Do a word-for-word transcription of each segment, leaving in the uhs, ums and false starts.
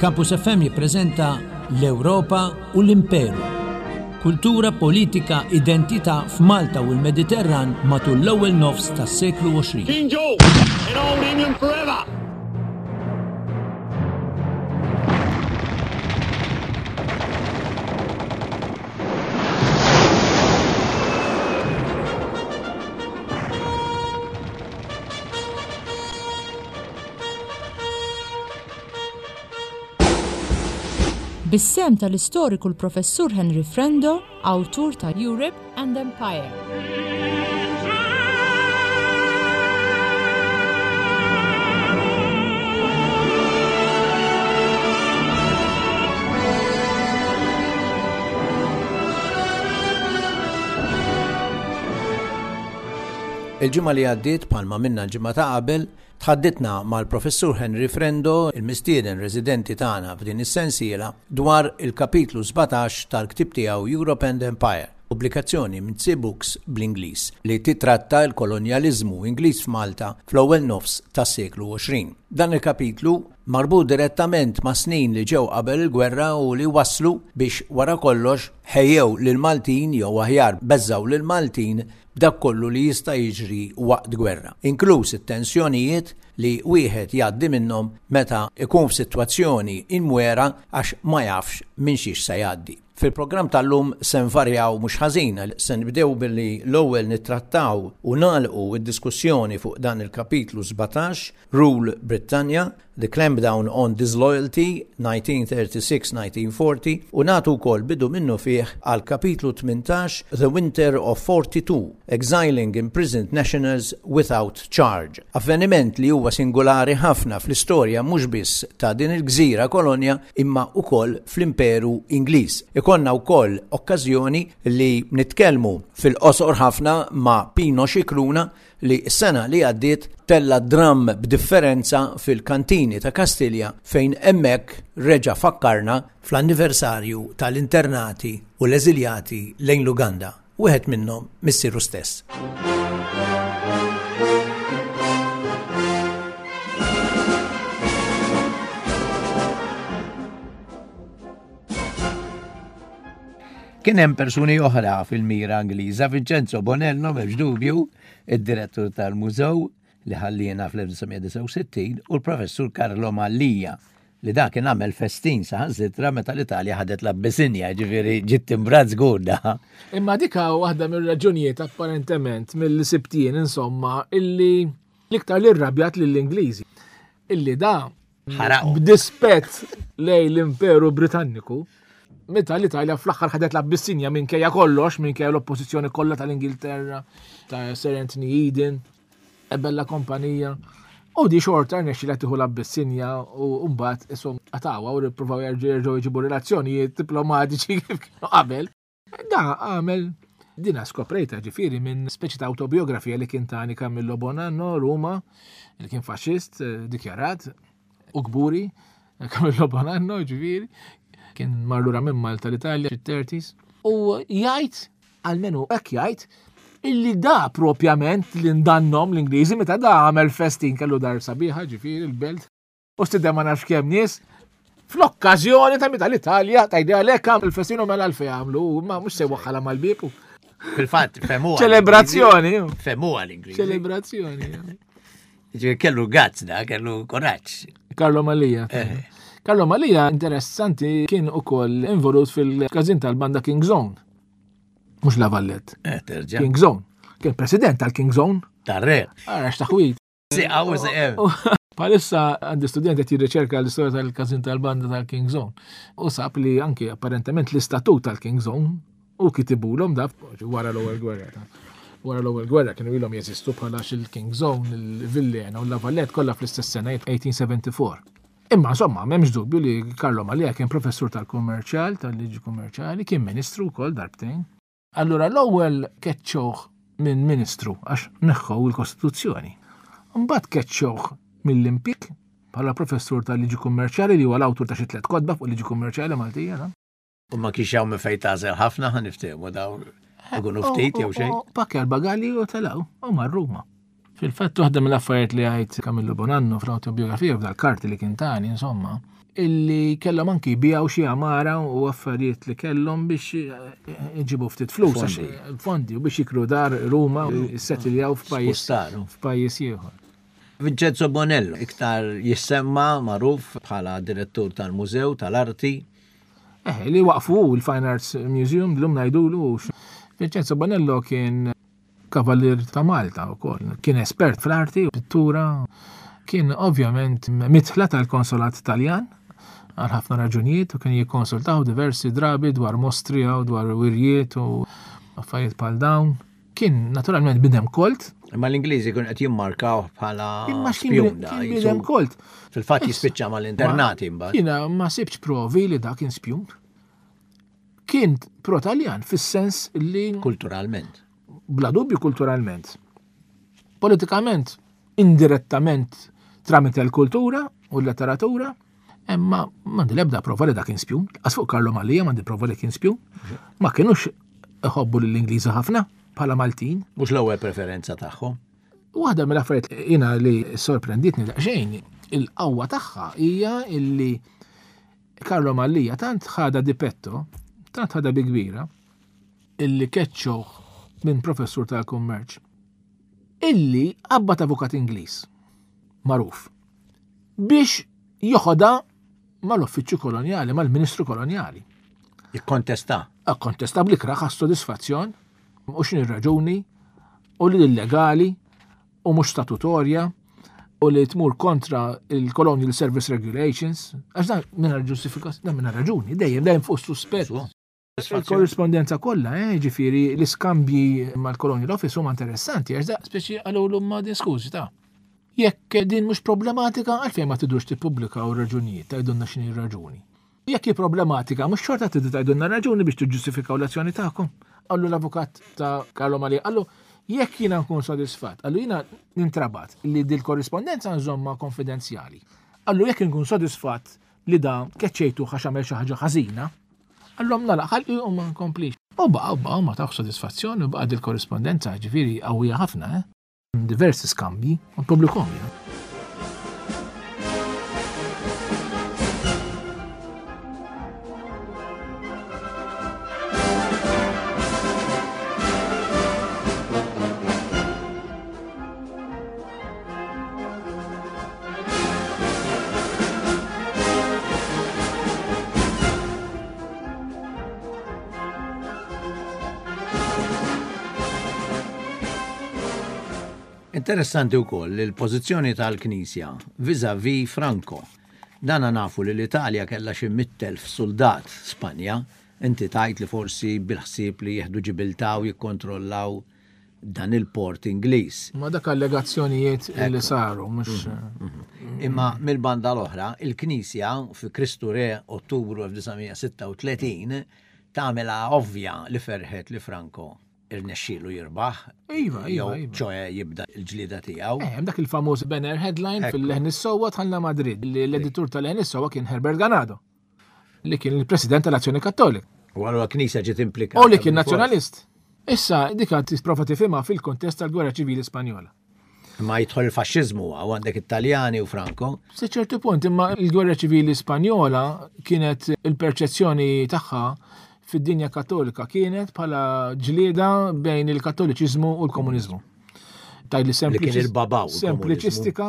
Campus F M jippreżenta L-Ewropa u l-Imperu. Kultura, politika, identità f'Malta u l-Mediterran matul l-ewwel nofs tas-seklu għoxrin. King George in Old England forever! Bis-sehem tal-istoriku l-Professur Henry Frendo, awtur ta' Europe and Empire. Il-ġimgħa li għaddiet, bħalma minna l-ġimgħa ta' qabel, tħadditna mal-Professur Henry Frendo, il-mistieden residenti tagħna f'din is-sensiela, dwar il-kapitlu sbatax tal-ktieb tiegħu Europe and Empire, pubblikazzjoni minn Tsi Books bl-Ingliż, li titratta l-kolonjaliżmu Ingliż f'Malta fl-ewwel nofs tas-seklu għoxrin. Dan il-kapitlu marbut direttament ma' snin li ġew qabel il-gwerra u li waslu biex wara kollox ħejjew lill-Maltin jew aħjar beżgħu lill-Maltin b'dak kollu li jista' jiġri waqt gwerra, inkluż it-tensjonijiet li wieħed jgħaddi minnhom meta ikun f'sitwazzjoni imwera għax ma jafx minn xiex se jgħaddi. Fil-programm tal-lum se nvarjaw mhux ħażin, se nibdew billi l-ewwel nittrattaw u nagħlqu d-diskussjoni fuq dan il-kapitlu sbatax, Rule Britannia, The Clampdown on Disloyalty, nineteen thirty-six nineteen forty, u nagħtu wkoll bidu minnu fih għal kapitlu tmintax, The Winter of forty-two, Exiling Imprisoned Nationals Without Charge. Avveniment li huwa singolari ħafna fl-istorja mhux biss ta' din il-gżira kolonja imma wkoll fl-Imperu Ingliż. Ikonna wkoll okkażjoni li nitkellmu fil-qosor ħafna ma' Pino Scicluna li s-sena li għaddiet tella dram b'differenza fil-kantini ta' Kastilja fejn hemmhekk reġa' fakkarna fl-anniversarju tal-internati u l-eżiljati lejn l-Uganda, wieħed minnhom missieru stess. Kien hemm persuni oħra fil-mira Ingliża, Vincenzo Bonello, m'hemmx dubju, id-direttur tal-mużew li ħalliena fl-elf disa' mija disgħa u sittin, u l-professur Carlo Mallia, li dak kien għamel festin saħansitra meta l-Italja ħadet l-Abbissinja, ġifieri ġiet timbrat żgur da. Imma dik waħda mir-raġunijiet apparentement mill-sibtien insomma illi l-iktar li rrabjat lill-Ingliżi. Illi da Ħaraqhom. b'dispett lejn l-Imperu Britanniku, meta l-Italja fl-aħħar ħadet l-Abbissinja minkejja kollox, minkejja l-oppożizzjoni kollha tal-Ingilterra, ta' Sir Anthony Eden, ebella kompanija. U di xorta rnexxilha tieħu l-Abbissinja u mbagħad ishom qatawha u rippruvaw jerġgħu jerġgħu jġibu relazzjonijiet diplomatiċi kif kienu qabel. Da għamel dina skoprejta ġifieri minn speċi ta' autobiografija li kien tani Camillo Bonanno, Ruma, li kien faxxist, eh, dikjarat u kburi, Camillo Bonanno ġifieri, kien mar lura minn Malta l-Italja fit-thirties, u jgħid, almenu hekk jgħid, illi da propjament li ndannom l-Ingliżi meta da għamel festin kellu dar sabiħa ġifieri l-belt u stidem ma nafx kemm nies fl-okkażjoni ta' meta l-Italja tajdi għalhekk għamel il-festin u mela għalfejn għamlu, ma mhux se waħħala mal-bieb. Fil-fatt, femuha Ċelebrazzjoni. Femuha l-Ingliżi. Ċelebrazzjoni. Ġifieri kellu gazz da, kellu kuraġġ. Carlo Mallia. Eh. Carlo Mallia, interessanti, kien ukoll involut fil-każin tal-banda King Zone. Mhux La Vallette. Eh, terġa'. King Zone. Kien president tal-King Zone. Tarre. Ara x'taħwit. Si, għaw, si, eh. Palissa għandi student qed jirriċerka l-istorja tal-każin tal-banda tal-King Zone. U sab li anki apparentement l-istatut tal-King Zone u kitibulhom da wara l-ewwel gwerra ta' wara l-ewwel gwerra kienu ilhom jeżistu bħala il-King Zone, il-Villena u la Vallette kollha fl-istess sena eighteen seventy-four. Imma insomma, m'hemmx dubju li Carlo Mallia kien professur tal-kummerċjal, tal-liġi kummerċjali, kien ministru wkoll darbtejn. Allura l-ewwel keċċewh minn ministru għax neħħew il-Kostituzzjoni. Mbagħad keċċewh mill-impjieg bħala professur tal-liġi kummerċjali li huwa l-awtur ta' xi tliet kotba fuq liġi kummerċjali Maltija, no? U ma kienx hawn minn fejn tagħżel ħafna, ħa niftehmu dawn ikunu ftit jew xejn. U, u, u, pakki għal-bagalji u telgħu u mar Ruma. Fil-fatt waħda mill-affarijiet li għajt Camillo Bonanno fl-autobiografija f'dal-karti li kien tani, insomma, illi kellhom anki jbiegħu xi għamara u affarijiet li kellhom biex iġibu ftit flus, għax fondi, u biex jikru dar Ruma u jissettiljaw f'pajjiż Spustaru. f'pajjiż ieħor. Vincenzo Bonello, iktar jissemma magħruf bħala direttur tal-Mużew tal-Arti. Eh, li waqfu il-Fine Arts Museum, l-lum ngħidulu. Vincenzo Bonello kien kavallier ta' Malta wkoll. Kien espert fl-arti, pittura. Kien ovvjament mitħla tal-konsolat Taljan għal ħafna raġunijiet u kien jikkonsultaw diversi drabi dwar mostri u dwar wirjiet u affarijiet bħal dawn. Kien naturalment bidem kolt. Imma l-Ingliżi kienu qed jimmarkaw bħala Imma x'kien spjun da, kien jisu- bidem kolt. Fil-fatt jispiċċa mal-internati mbagħad. Jiena ma sibx provi li da kien spjun. Kien pro-Taljan fis-sens li Kulturalment. bla dubju kulturalment. Politikament, indirettament tramite l-kultura u l-letteratura, imma m'għandi l-ebda prova li da kien spjun. Għas fuq Carlo Mallia m'għandi prova li kien spjun. Ma kienux iħobbu lill-Ingliżi ħafna bħala Maltin. Mhux l-ewwel preferenza tagħhom. Waħda mill-affarijiet jiena li sorprenditni daqsxejn, il-qawwa tagħha hija illi Carlo Mallia tant ħada di petto, tant ħada bi kbira, illi keċċoh minn professur tal-kummerċ, illi qabad avukat Ingliż, magħruf, biex joħodha mal-uffiċċju kolonjali, mal-ministru kolonjali. Jikkontesta. Akkontesta bl-ikraħ għas-sodisfazzjon, u x'inhi r-raġuni, u li illegali, u mhux statutorja, u li tmur kontra il-Colonial Service Regulations, għax dan mingħajr ġustifikazzjoni, dan mingħajr raġuni, dejjem dejjem fuq suspett. Il-korrispondenza kollha, eh, ġifieri l-iskambji mal-Colonial Office huma interessanti, għax da speċi qalulu ma din skużi ta' jekk din mhux problematika, għalfejn ma tidux tippubblikaw raġunijiet, tgħidulna x'inhi r-raġuni. Jekk hi problematika, mhux xorta tridu tgħidulna raġuni biex tiġġustifikaw l-azzjoni tagħkom. Qallu l-avukat ta' Carlo Mallia, qallu jekk jiena nkun sodisfatt, qallu jiena nintrabat li dil-korrispondenza nżomma konfidenzjali. Qallu jekk nkun sodisfatt li da keċċejtu għax għamel xi ħaġa ħażina, għallhom nagħlaq ħalqi u ma nkomplix. U baqa' u baqa' ma tawx sodisfazzjoni u baqa' dil-korrispondenza ġifieri qawwija ħafna, eh? Diversi skambji u pubblikhom jien. Interessanti wkoll il-pożizzjoni tal-Knisja vis-à-vis Franco. Dana nafu li l-Italja kellha xi mitt elf soldat Spanja, inti tajt li forsi bil-ħsieb li jieħdu Ġibiltà u jikkontrollaw dan il-port Ingliż. Ma dak allegazzjonijiet li saru, mhux Imma mill-banda l-oħra, il-Knisja fi Kristu Re Ottubru elf disa' mija sitta u tletin tagħmilha ovvja li ferħet li Franco irnexxielu jirbaħ. Iva, iva, Jew, iva. ċoħe jibda l-ġlieda tiegħu. Eh, hemm dak il-famuż banner headline Ekku. fil-Leħen is-Sewwa tħallna Madrid, li l-editur tal-Leħen is-Sewwa kien Herbert Ganado, li kien il-President tal-Azzjoni Kattolika. U allura l-Knisja ġiet implikata U li kien bil-fors. nazzjonalist. Issa dik għad tipprova tifhimha fil-kontest tal-Gwerra Ċivili Spanjola. Ma jidħol il-faxxiżmu għaw għandek Italjani u Franco. Se ċertu punt, imma l-Gwerra Ċivili Spanjola kienet il-perċezzjoni tagħha fid-dinja kattolika kienet bħala ġlieda bejn il-kattoliċiżmu u l-komuniżmu. Tajli Li kien sempliċi- il-babaw il-komuniżmu. Sempliċistika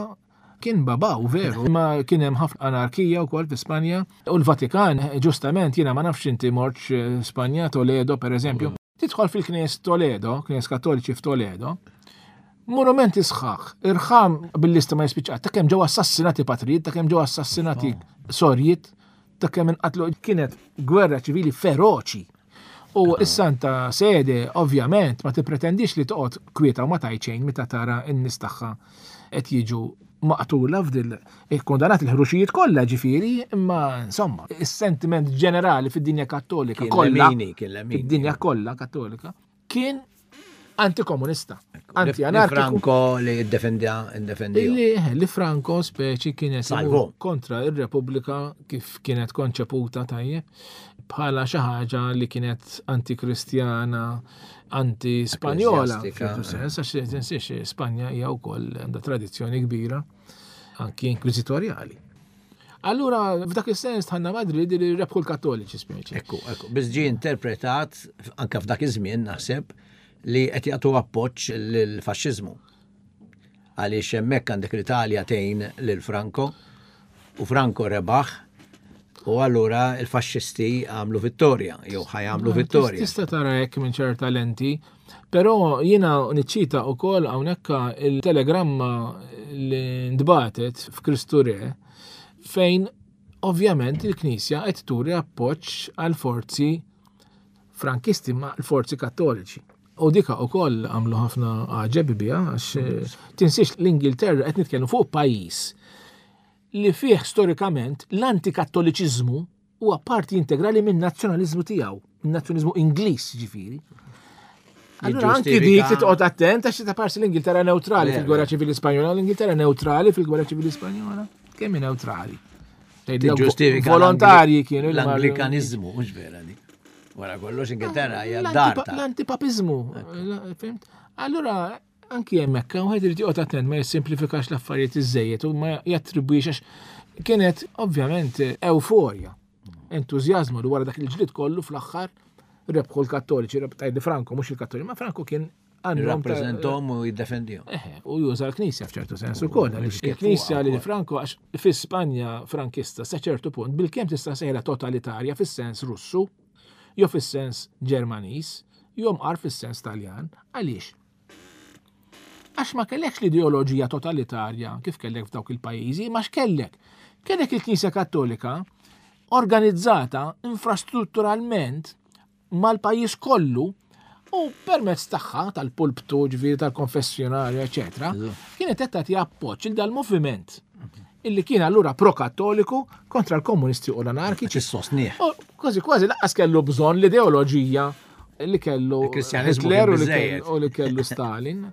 kien babaw veru, imma kien hemm ħafna anarkija wkoll fi Spanja u l-Vatikan, ġustament, jiena ma nafx inti mortx, eh, Spanja, Toledo per eżempju. Tidħol fil-Knies Toledo, Knies Kattoliċi f'Toledo, monumenti sħaħ, irħam bil-lista ma jispiċċa, ta' kemm ġew assassinati patrijiet, ta' kemm ġew assassinati sorjiet, ta' kemm inqatlu, kienet gwerra ċivili feroċi. U s-Santa Sede, ovvjament, ma tippretendix li toqgħod kwieta u ma tgħid xejn meta tara n-nies tagħha qed jiġu maqtula f'dil ikkondannat il-ħruxijiet kollha ġifieri, imma insomma, is-sentiment ġenerali fid-dinja kattolika Kien kollha, lemini, kien lemini. fid-dinja kollha kattolika, kien antikomunista, Li anti-anarkiku. Franco li ddefendja, ddefendija. Li, li Franco speċi kienet Salvo. imur kontra ir-Repubblika kif kienet konċeputa tajjeb bħala xi ħaġa li kienet antikristjana, anti-Spanjola. Ekkleżjastika, F'ċertu sens, għax tinsiex Spanja hija wkoll għandha tradizzjoni kbira anki inkwiżitorjali. Allura, f'dak is-sens tħanna Madrid li rebħu l-Kattoliċi speċi. Ekku, ekku, biss ġie interpretat anke f'dak iż-żmien naħseb li qed jagħtu appoġġ lill-faxxiżmu. Għaliex hemmhekk għandek l-Italja tgħin lil Franco u Franco rebaħ u allura il-faxxisti għamlu vittorja, jew ħajamlu vittorja. Tista' tara hekk minn ċerta lenti, però jiena niċċita wkoll hawnhekk il-telegramma li ntbatet f'Kristu Re fejn ovvjament il-Knisja qed turi appoġġ għal forzi frankisti ma' l-forzi kattoliċi. U dika wkoll għamlu ħafna għaġeb biha għax tinsiex l-Ingilterra qed nitkellmu fuq pajjiż li fih storikament l-antikattoliċiżmu huwa parti integrali minn nazzjonaliżmu tiegħu, minn nazzjonaliżmu Ingliż ġifieri. Allura anki dik titqgħod attent għax ta' parsi l-Ingilterra neutrali fil-Gwerra Ċivili Spanjola, l-Ingilterra neutrali fil-Gwerra Ċivili Spanjola. Kemm hi neutrali? Tiġġustifika volontarji kienu l-Anglikanizmu, mhux vera dik. Wara kollox Ingilterra hija dar. L-antipapiżmu, fimt? Allura anki hemmhekk wieħed irid joqgħod attent ma jissimplifikax l-affarijiet iżejjed u ma jattribwix għax kienet ovvjament euforja, entużjażmu li wara dak il-ġlied kollu fl-aħħar rebħu l-Kattoliċi, tgħidli Franco mhux il-Kattoliċi, ma Franco kien jirrappreżentahom u jiddefendihom. Eħe, u juża l-Knisja f'ċertu sens ukoll, għaliex il-Knisja li Franco għax fi Spanja frankista sa ċertu punt bilkemm tista' sejħla totalitarja fis-sens Russu, jew fis-sens Ġermaniż, jew mqar fis-sens Taljan. Għaliex? Għax ma kellekx l-ideoloġija totalitarja kif kellek f'dawk il-pajjiżi, ma x'kellek. Kellek il-Knisja Kattolika organizzata infrastrutturalment mal-pajjiż kollu u permezz tagħha tal-pulptu, ġifieri tal-konfessjonarju, eċetera, kienet qed tagħti appoġġ il dal-moviment illi kien allura pro-kattoliku kontra l-komunisti u l-anarkiċi. Sostnieh. U kważi kważi lanqas kellu bżonn l-ideoloġija li kellu Hitler u li kellu Stalin.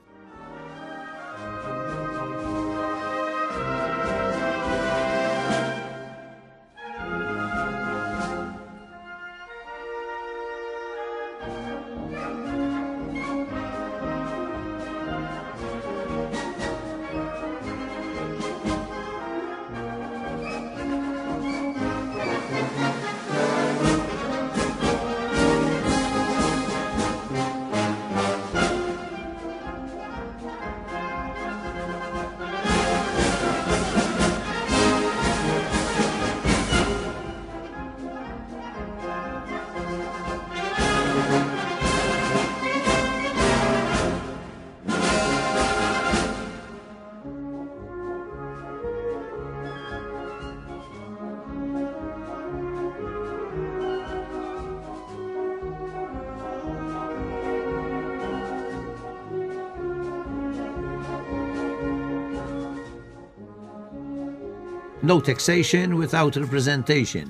No taxation without representation.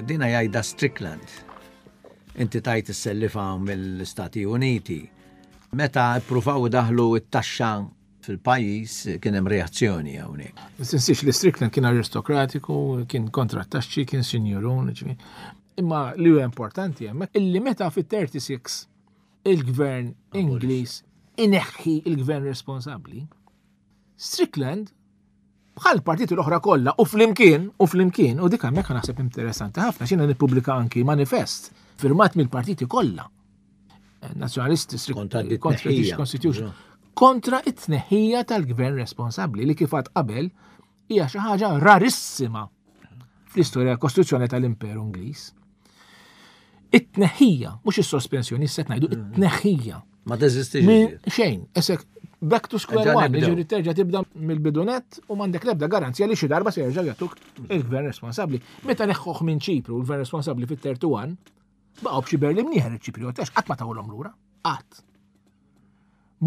Dina jgħidha Strickland. Inti tajt is-sellifa mill-Stati Uniti. Meta ippruvaw daħlu it-taxxa fil-pajjiż kien hemm reazzjoni hawnhekk. Tinsiex li Strickland kien aristokratiku, kien kontra t-taxxi, kien sinjurun. Imma li huwa importanti hemmhekk illi meta fit-thirty-six il-gvern Ingliż ineħħi il-gvern responsabbli, Strickland bħal partiti l-oħra kollha u flimkien, u flimkien, u dik hemmhekk naħseb interessanti ħafna x'jiena nippubblika anki manifest firmat mill-partiti kollha. Nazzjonalisti kontra British Constitution, kontra it-tneħħija tal-gvern responsabbli li kif għad qabel hija xi ħaġa rarissima fl-istorja kostituzzjoni tal-Imperu Ingliż. It-tneħħija, mhux is-sospensjoni, issa ngħidu it-tneħħija. Ma teżistix. Xejn, esek back to square one, ġifieri terġa' tibda mill-bidunet u m'għandek l-ebda garanzija li xi darba se jerġa' jagħtuk il-gvern responsabbli. Meta neħħuh minn Ċipru l-gvern responsabbli fit-thirty-one, baqgħu b'xi Berlin mnieħer iċ-Ċipriot, għax qatt ma tawlhom lura, qatt.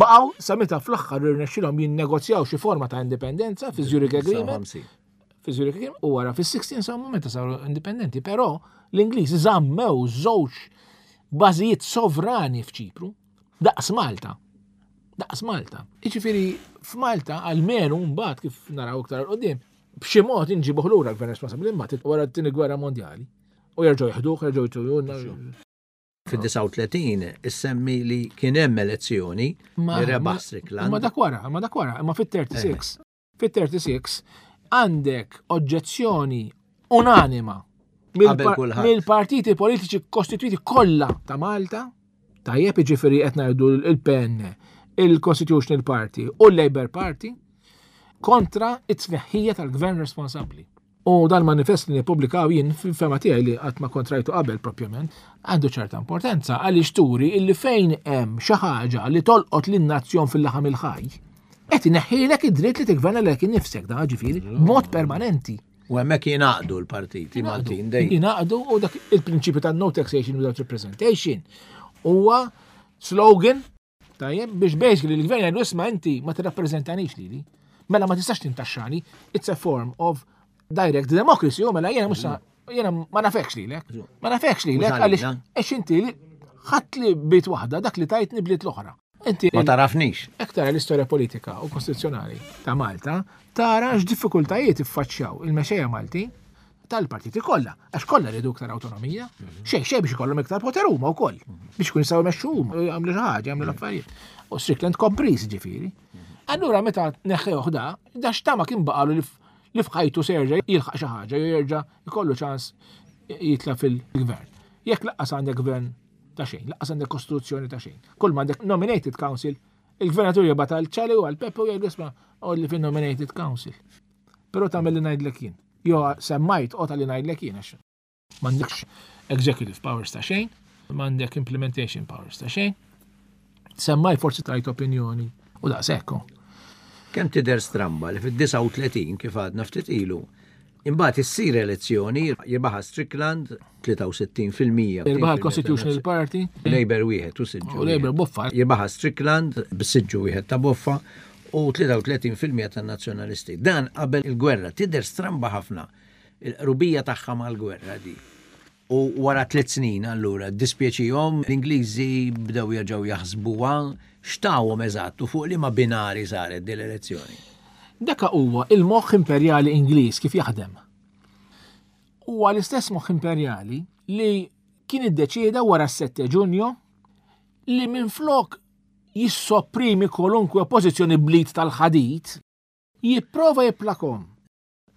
Baqgħu sa meta fl-aħħar irnexxilhom jinnegozjaw xi forma ta' indipendenza fi Zurich Agreement. Fi Zurich Agreement u wara fis-sixteen sa meta saru indipendenti, però l-Ingliżi żammew żewġ bażijiet sovrani f'Ċipru daqs Malta. Daqs Malta. Jiġifieri f'Malta almenu mbagħad kif naraw iktar qudiem, b'xi mod inġibuh lura l-gvern responsabbli imbagħad wara t-tieni gwerra mondjali. U jerġgħu jeħduh, jerġgħu jtujuna. Fid-disgħa u tletin issemmi li kien hemm elezzjoni li rebaħ Strickland. Ma dak wara, ma dak wara, imma fit-thirty-six. Fit-thirty-six għandek oġġezzjoni unanima Qabel kulħadd. mill-partiti politiċi kostituiti kollha ta' Malta, tajjeb, jiġifieri qed ngħidu il-P N, il-Constitutional Party u l-Labour Party, kontra it-tneħħija tal-gvern responsabbli. U dan manifest li nippubblikaw jien, fil-fehma tiegħi li qatt ma kontrajtu qabel propjament, għandu ċerta importanza għaliex turi illi fejn hemm xi ħaġa li tolqot lin-nazzjon fil-laħam il-ħaj, qed ineħħilek id-dritt li tigverna lilek innifsek, da ġifieri b'mod permanenti. U hemmhekk jingħaqdu l-partiti Maltin dejjem. Jingħaqdu, u dak il-prinċipju ta' no taxation without representation huwa slogan tajjeb biex basically l-gvern jgħidu: "Isma', inti ma tirrappreżentanix lili. Mela ma tistax tintaxxani." It's a form of direct democracy, u mela jiena mhux jiena ma nafekx lilek. Ma nafekx lilek għaliex għax inti ħadd li bit waħda dak li tajtni blit l-oħra. Inti Ma tarafnix. Jekk tara l-istorja politika u kostituzzjonali ta' Malta, tara x'diffikultajiet iffaċċjaw il-mexxejja Malti tal-partiti kollha, għax kollha rridu iktar awtonomija, xejn xejn biex ikollhom iktar poter huma wkoll, biex ikun jistgħu jmexxu huma, jagħmlu xi ħaġa, jagħmlu l-affarijiet. U Strickland kompriż ġifieri. Allura meta neħħewh da, da x'tama kien baqalu li li f'ħajtu se jerġa' jilħaq xi ħaġa, jew jerġa' jkollu ċans jitla' fil-gvern? Jekk lanqas għandek gvern ta' xejn, lanqas għandek kostituzzjoni ta' xejn. Kull ma għandek nominated council, il-gvernatur jibgħat għal Ċali u għal Pepe u jgħidu: "Isma', li fin nominated council. Però tagħmel li ngħidlek jien. Jo semmajt qota li ngħidlek jien, għax m'għandekx executive powers ta' xejn, m'għandek implementation powers ta' xejn. Semmaj forsi tajt opinjoni u daqshekk. Kemm tidher stramba li fid-disgħa u tletin, kif għadna ftit ilu, imbagħad issir elezzjoni, jirbaħa Strickland tlieta u sittin fil-mija. Jirbaħa l-Constitutional Party. Labour wieħed u siġġu. U Labour boffa. Jirbaħa Strickland b'siġġu wieħed ta' boffa u tlieta u tletin fil-mija tan-nazzjonalisti. Dan qabel il-gwerra, tidher stramba ħafna il-qrubija tagħha mal-gwerra di. U wara tliet snin allura dispjaċihom l-Ingliżi, bdew jerġgħu jaħsbuha, x'tawhom eżatt u fuq liema binari saret din l-elezzjoni? Daka huwa il-moħħ imperjali Ingliż kif jaħdem. Huwa l-istess moħħ imperjali li kien iddeċieda wara s-sette Ġunju li minflok jissopprimi kwalunkwe oppożizzjoni bl-id tal-ħadid, jipprova jipplakom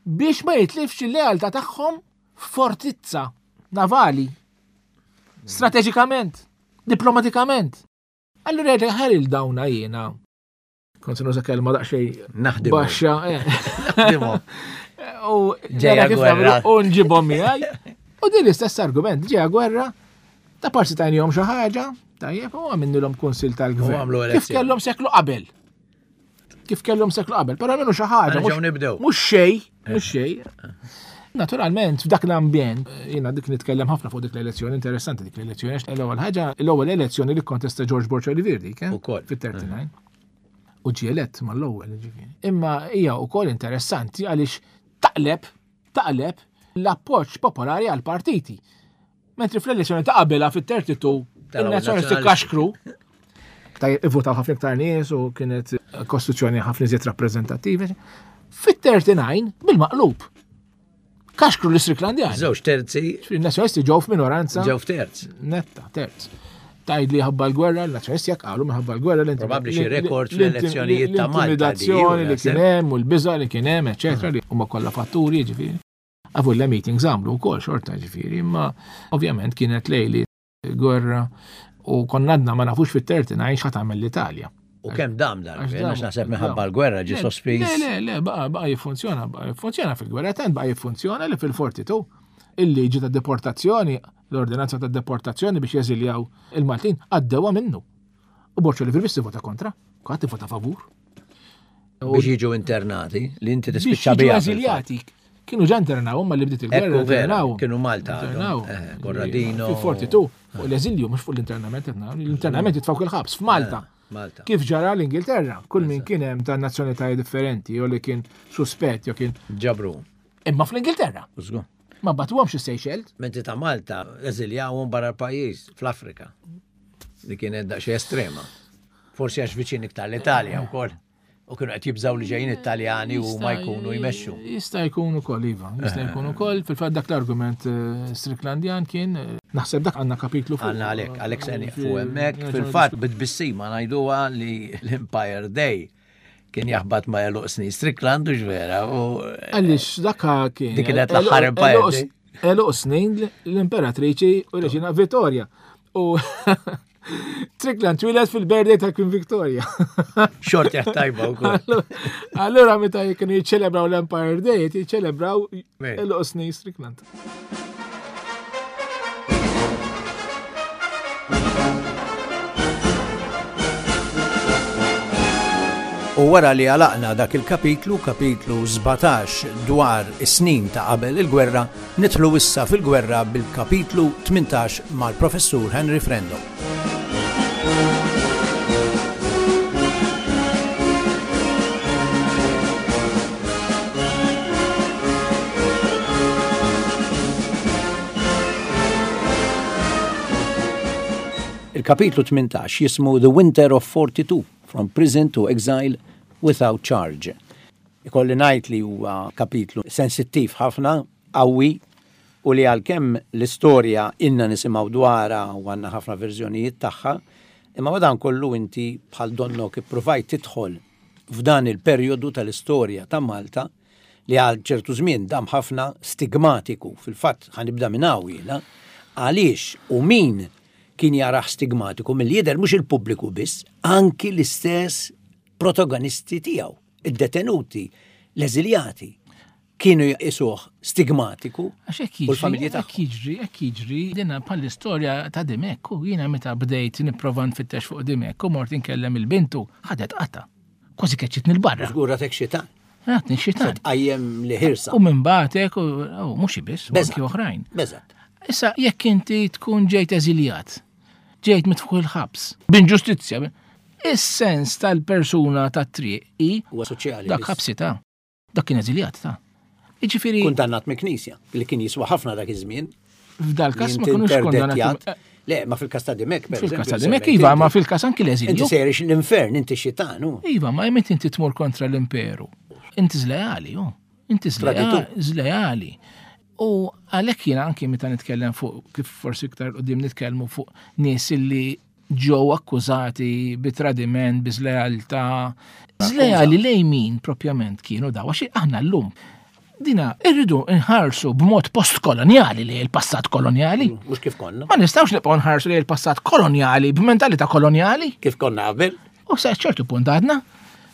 biex ma jitlifx il-lealtà tagħhom f'fortizza navali. Strateġikament, diplomatikament. Allura jgħid ħaril dawna jiena. Kont se nuża kelma daqsxejn Naħdimu. baxxa. eh. Naħdimu. U Ġeja nara kif gwerra. nagħmlu u nġibhom miegħi. U din l-istess argument, ġeja gwerra, ta' parsi tajnihom xi ħaġa, tajjeb, u għamilnilhom kunsil tal-gvern. U għamlu Kif elezzjoni. kellhom seklu qabel. Kif kellhom seklu qabel, però għamlu xi ħaġa. Nerġgħu mhux- nibdew. Mhux xej, mhux xej. Naturalment, f'dak l-ambjent, jiena dik nitkellem ħafna fuq dik l-elezzjoni, interessanti dik l-elezzjoni, għax l-ewwel ħaġa, l-ewwel elezzjoni li kontesta George Borg Olivier dik, eh? Ukoll. Fit-thirty-nine. U ġie elett mal-ewwel, ġifieri. Imma hija wkoll interessanti għaliex taqleb, taqleb l-appoġġ popolari għal partiti. Mentri fl-elezzjoni ta' qabilha fit-thirty-two, Taraw il-nazzjonalisti il-nazzjonalisti. kaxkru. Tajjeb, ivvutaw ħafna iktar nies u kienet kostituzzjoni ħafna iżjed rappreżentattiva. Fit-thirty-nine, bil-maqlub. Kaxkru l-Istricklandjani. Żewġ terzi. Il-nazzjonalisti ġew f'minoranza Ġew f'terz. netta, terz. Tajd li ħabba l-gwerra, l-nazzjonalisti jekk qalu minħabba l-gwerra l Probabbli xi rekord fl-elezzjonijiet ta' Malta di, L-intimidazzjoni li naħseb. kien hemm u l-biża' li kien hemm, eċetera, li huma kollha fatturi, ġifieri. Avolja meetings għamlu wkoll xorta, ġifieri, imma ovvjament kienet lejli gwerra u konna għadna ma nafux fit-thirty-nine x'ħa tagħmel l-Italja. U kemm dam dan? Għax Għax dam- naħseb dam. minħabba l-gwerra ġi Le, sospiż. Le, le, le, baqa, baqa jiffunzjona, baqa jiffunzjona fil-gwerra, tant baqa jiffunzjona li fil-forty-two il-liġi ta' deportazzjoni, l-ordinanza ta' deportazzjoni biex jeżiljaw il-Maltin, għaddewa minnu. U Borg Olivier biss vota kontra, kulħadd vota favur. Biex jiġu internati, li inti Biex tispiċċa jiġu biha. eżiljati. Kienu ġa internaw, ma li bdiet il-gwerra Ekku vera, internaw. kienu Malta għadhom. Internaw. Eh, Corradino. Fil-forty-two, fuq l-eżilju, mhux fuq l-internament, l-internament jitfgħu il-ħabs f'Malta. Eh, Malta. Kif ġara l-Ingilterra, kull min kien hemm ta' nazzjonalitajiet differenti, jew li kien suspett, jew kien Ġabru. Imma fl-Ingilterra. Użgu. Ma bagħtuhomx is-Seychelles. Menti ta' Malta eżiljawhom barra l-pajjiż, fl-Afrika. Li kienet daqsxejn estrema. Forsi għax viċin iktar l-Italja wkoll. U kienu qed jibżaw li ġejjin Italjani u ma jkunu jmexxu. Jista' jkun ukoll, iva, jista' jkun ukoll. Fil-fatt dak l-argument eh, Stricklandjan kien, eh, naħseb dak għandna kapitlu fuq. Għanna għalek, għalek se nieqfu hemmhekk. Fil-fatt bit-tbissima ngħiduha li l-Empire Day Kien jaħbat ma' għeluq snin Strickland u ġvera. Għaliex dakka kien. Dik kienet l-aħħar Empire. Għeluq snin l-Imperatriċi u Reġina Vittoria. U Strickland twieled fil-birthday ta' Queen Victoria. Xorti tajba u koll. Allura meta kienu jiċċelebraw l-Empire Day, jiċċelebraw għeluq snin Strickland. U wara li għalaqna dak il-kapitlu, kapitlu sbatax dwar is-snin ta' qabel il-gwerra, nidħlu issa fil-gwerra bil-kapitlu tmintax mal-professur Henry Frendo. Il-kapitlu tmintax jismu The Winter of forty-two, From Prison to Exile Without Charge. Ikolli ngħid li huwa kapitlu sensittiv ħafna, qawwi, u li għalkemm l-istorja inna nisimgħu dwarha u għandna ħafna verżjonijiet tagħha, imma madankollu inti bħal donnok ippruvajt tidħol f'dan il-perjodu tal-istorja ta' Malta li għal ċertu żmien dam ħafna stigmatiku. Fil-fatt ħanibda minn hawn jiena, għaliex u min kien jaraħ stigmatiku mill-jidher mhux il-pubbliku biss, anki l-istess protagonisti tiegħu, id-detenuti, l-eżiljati, kienu jqisuh stigmatiku u l-familji tagħhom. Hekk jiġri, hekk jiġri, dinha bħall-istorja ta' Dimech, u jiena meta bdejt nipprova nfittex fuq Dimech u mort inkellem il-bintu, ħadet qata. Kważi keċċitni l-barra. Żgur għatek xitan. Għatni xitan. Tqajjem li ħirsa. U minn bagħtek, u mhux biss, u anki oħrajn. Beżat. Issa jekk inti tkun ġejt eżiljat, ġejt mitfuq il-ħabs, b'inġustizzja, is-sens tal-persuna tat-triq i huwa soċjali. Dak ħabsita, dak kien eżiljat ta'. Jiġifieri kundannat mill-Knisja li kien jiswa ħafna dak iż-żmien. F'dal każ ma kinux kundannati. Le, ma fil-każ ta' Dimech, per Fil-każ ta' Dimech, iva, ma fil-każ anki l-eżilju. Inti sejrix l-infern, inti xitan. Iva, ma jmet inti tmur kontra l-imperu. Inti żleali, ju. Inti żleali. U għalhekk jiena anki meta nitkellem fuq, kif forsi iktar qudiem nitkellmu fuq nies illi ġew akkużati bi tradiment, bi żlealtà. Żleali lejn min propjament kienu daw, għax aħna llum dina irridu nħarsu b'mod postkolonjali li l-passat kolonjali. Mhux kif konna. Ma nistgħux nibqgħu nħarsu li l-passat kolonjali b'mentalità kolonjali. Kif konna qabel. U sa ċertu punt għadna.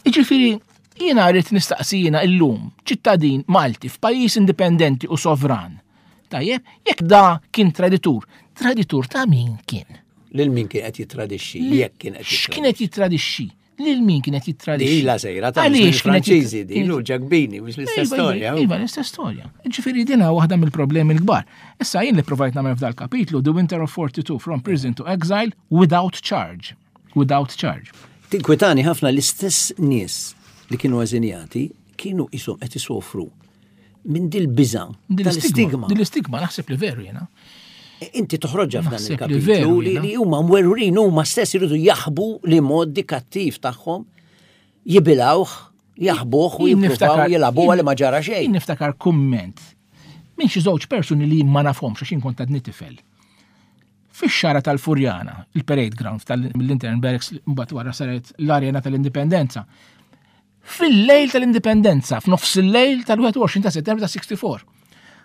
Jiġifieri jiena rrid nistaqsi jiena illum ċittadin Malti f'pajjiż indipendenti u sovran. Tajjeb, jekk da kien traditur, traditur ta' min kien? Lil min kien qed jittradixxi, jekk kien qed jittradixxi. X'kien qed jittradixxi? Lil min kien qed jittradixxi? Ila sejra ta' Franċiżi din u Ġakbini, mhux l-istess storja. Iva, l-istess storja. Ġifieri din waħda mill-problemi l-kbar. Issa jien li provajt nagħmel f'dal kapitlu The Winter of forty-two, From Prison to Exile Without Charge. Without Charge. Tinkwitani ħafna l-istess nies li kienu eżiljati kienu ishom qed isofru minn dil-biża' tal-istigma. Dil-istigma naħseb li veru jiena. Inti toħroġha f'dan il-kapitlu li huma mwerwrin huma stess iridu jaħbu li modi kattiv tagħhom jibilawh, jaħbuh u jippruvaw jilagħbuha li ma ġara xejn. Jien niftakar kumment minn xi żewġ persuni li ma nafhomx għax kont għadni tifel. Fix-xara tal-Furjana, il-parade ground tal-Intern Barracks mbagħad wara saret l-Arena tal-Indipendenza. Fil-lejl tal-Indipendenza, f'nofs il-lejl tal-wieħed u għoxrin ta' Settembru ta' sixty-four.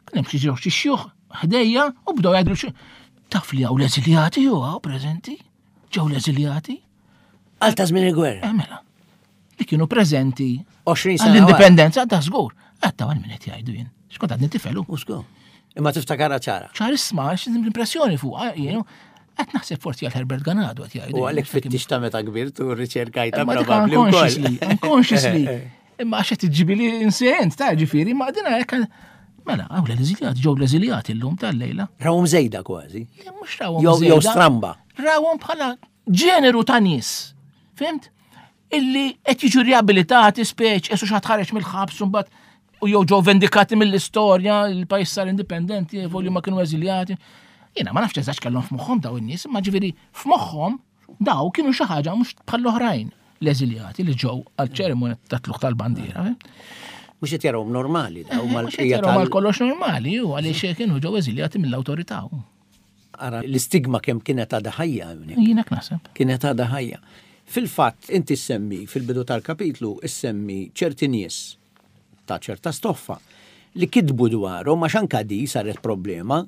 Kien hemm xi żewġ xjuħ ħdejja u bdew jgħidu xi taf li hawn l-eżiljati jew hawn preżenti? Ġew l-eżiljati? Għal ta' żmien il-gwerra. Eh mela. Li kienu preżenti għoxrin sena għall-Indipendenza ta' żgur. Għatta għal min qed jgħidu jien. X'kont għadni tifelu. U żgur. Imma tiftakarha ċara. Ċarissma, għax l-impressjoni fuqha, jienu. Qed naħseb forsi għal Herbert Ganado qed jgħidu. U għalhekk fittix ta' meta kbirt u rriċerkajta probabbli unconsciously, unconsciously. Imma għax qed iġġibili insejent ta' ġifieri, ma dina hekk mela hawn l-eżiljati, ġew l-eżiljati llum tal-lejla. Rawhom żejda kważi. Le mhux rawhom żejda. Jew stramba. Rawhom bħala ġeneru ta' nies. Fimt? Illi qed jiġu riabilitati speċ, esu xi ħareġ mill-ħabs u mbagħad u jew ġew vendikati mill-istorja, il-pajjiż sar indipendenti, volju ma kienu eżiljati. Jiena ma nafx eżatt kellhom f'moħħhom daw in-nies, imma ġifieri f'moħħhom daw kienu xi ħaġa mhux bħall-oħrajn l-eżiljati li ġew għal-ċerimonja ta' tluq tal-bandiera. Mhux qed jarawhom normali daw mal-qija tal kollox normali u għaliex kienu ġew eżiljati mill-awtorità. Ara l-istigma kemm kienet għadha ħajja hawnhekk. Jiena naħseb. Kienet għadha ħajja. Fil-fatt, inti semmi fil-bidu tal-kapitlu, issemmi ċerti nies ta' ċerta stoffa li kitbu dwarhom, għax anka di saret problema,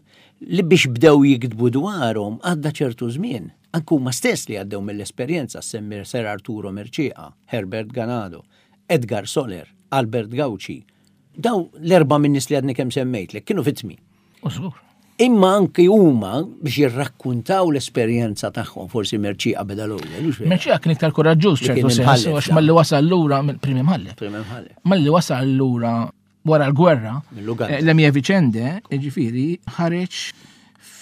li biex bdew jiktbu dwarhom għadda ċertu żmien. Anke huma stess li għaddew mill-esperjenza, semmi Sir Arturo Mercieca, Herbert Ganado, Edgar Soler, Albert Gauci. Daw l-erba' min-nies li għadni kemm semmejtlek kienu vittmi. U żgur. Imma anki huma biex jirrakkuntaw l-esperjenza tagħhom, forsi Mercieca beda l-ewwel. Mercieca kien iktar kuraġġuż ċertu sens, għax malli wasal lura prim imħallef. Prim imħallef. Malli wasal lura wara l-gwerra, Le Mie Vicende, ġifieri, ħareġ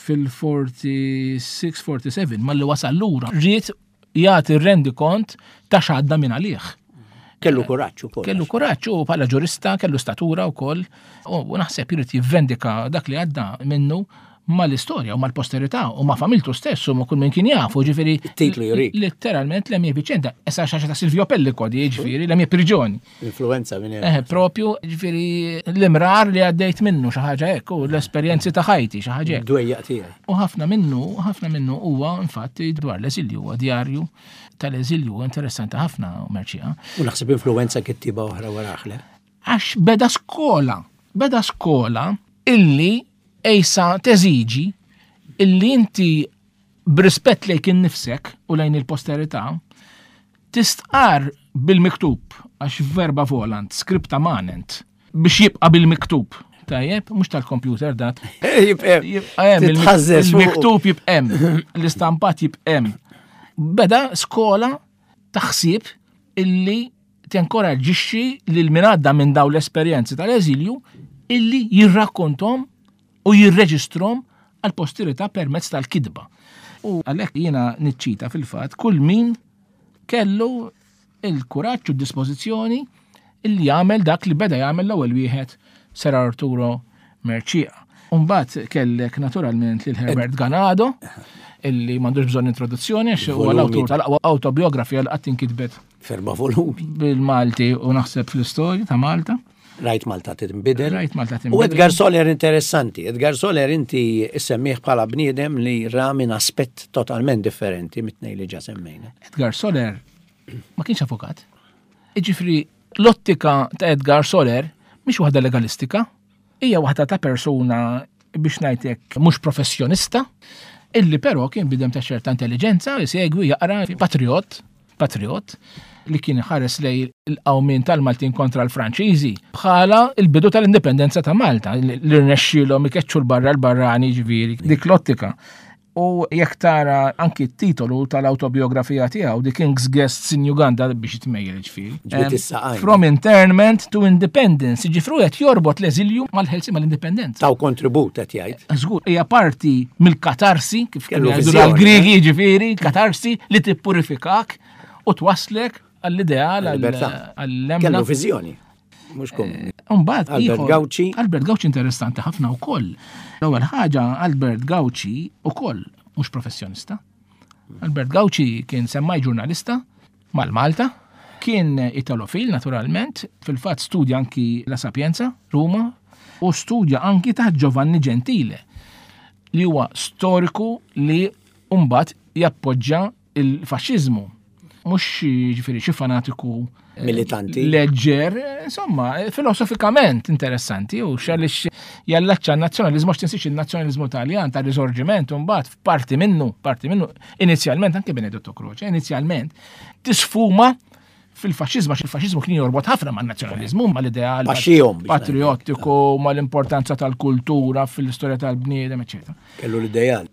fil-forty-six forty-seven, malli wasal lura, ried jagħti rendikont ta' x'għadda minn għalih. Kellu kuraġġ ukoll. Kellu kuraġġ u bħala ġurista, kellu statura wkoll, u naħseb irid jivvendika dak li għadda minnu mal-istorja u mal-posterità u ma' familtu stess u ma' kull min kien jafu, ġifieri. It-titlu jurik. Letteralment Le Mie Vicende, issa xi ħaġa ta' Silvio Pellico di, ġifieri, Le Mie Prigioni. Influenza minn hemm. Eh, propju, ġifieri l-imrar li għaddejt minnu xi ħaġa hekk u l-esperjenzi ta' ħajti xi ħaġa hekk. Dwejjaq tiegħi. U ħafna minnu, ħafna minnu huwa infatti dwar l-eżilju, huwa djarju tal-eżilju interessanti ħafna Mercieca. U naħseb influenza kittiba oħra waraħ, le? Għax beda skola, beda skola illi ejsa teżiġi illi inti b'rispett lejk innifsek u lejn il-posterità tistqar bil-miktub, għax verba volant, scripta manent, biex jibqa' bil-miktub. Tajjeb, mhux tal-computer dat. Jibqa' Jibqa' hemm, il-mik- Titħażżeż fuq. il-miktub jibqa' hemm, l-istampat jibqa' hemm. Beda skola taħsib illi tenkoraġġixxi lil min għadda minn dawn l-esperjenzi tal-eżilju illi jirrakkontom u jirreġistrom għal-posterità permezz tal-kidba. U għalhekk jiena niċċita fil-fatt kull min kellu il-kuraġġ u d-dispożizzjoni illi jagħmel dak li beda jagħmel l-ewwel wieħed Sir Arturo Mercieca. Umbagħad kellek naturalment lil Herbert Ganado, illi m'għandux bżonn introduzzjoni għax huwa Volumi. l-awtur tal-aqwa autobiografija li qatt inkitbet Ferba volumi. bil-Malti u naħseb fl-istorja ta' Malta. Rajt Malta tinbidel. Rajt Malta U tinbidel. Edgar Soler interessanti. Edgar Soler inti semmih bħala bniedem li ra minn aspett totalment differenti mit-tnejn li ġa semmejna. Edgar Soler ma kienx avukat. Iġifri, l-ottika ta' Edgar Soler mhix waħda legalistika, hija waħda ta' persuna biex ngħidlek mhux professjonista, illi però kien bidem ta' ċerta intelligenza, jsegwi, jaqra, patriot, patriot, li kien ħares lej il-qawmien tal-Maltin kontra l-Franċiżi bħala il-bidu tal-indipendenza ta' Malta, li rnexxielhom ikeċċu l-barra l-barrani, ġifieri, dik l-ottika. U jekk tara anki t-titolu tal-autobiografija tiegħu, The King's Guests in Uganda, biex jitmejjel ġifieri. Ġbit Em, is-saqajn. From internment to independence, ġifru qed jorbot l-eżilju mal-ħelsi mal-indipendenza. Taw kontribut qed jgħid. Żgur, hija parti mill-katarsi, kif Kellu kienu jgħidu viżjoni, l-Griegi, ġifieri, katarsi li tippurifikak u twaslek għall-ideal, Għall-libertà. għall-lemna. Kellu viżjoni. Mhux komuni. Umbagħad Albert ieħor- Gauci. Albert Gauci interessanti ħafna wkoll. L-ewwel ħaġa Albert Gauci ukoll mhux professjonista. Albert Gauci kien semmaj ġurnalista mal-Malta, kien italofil naturalment, fil-fatt studja anki La Sapienza, Ruma, u studja anki taħt Giovanni Gentile, li huwa storiku li mbagħad jappoġġa il-faxxiżmu. Mhux ġifieri xi fanatiku Militanti. leġġer, insomma, filosofikament interessanti, u xalix jallaċċa n-nazzjonalizmu, għax tinsiex il-nazzjonalizmu Taljan ta' risorġiment, u mbagħad f'parti minnu, parti minnu, inizjalment, anke Benedetto Croce, inizjalment, tisfuma fil-faxxiżmu, għax il-faxxiżmu kien jorbot ħafna man-nazzjonalizmu, mal-ideal Paxxihom biex patriottiku, mal-importanza tal-kultura fil-istorja tal-bniedem, eċċetera. Kellu l-ideal.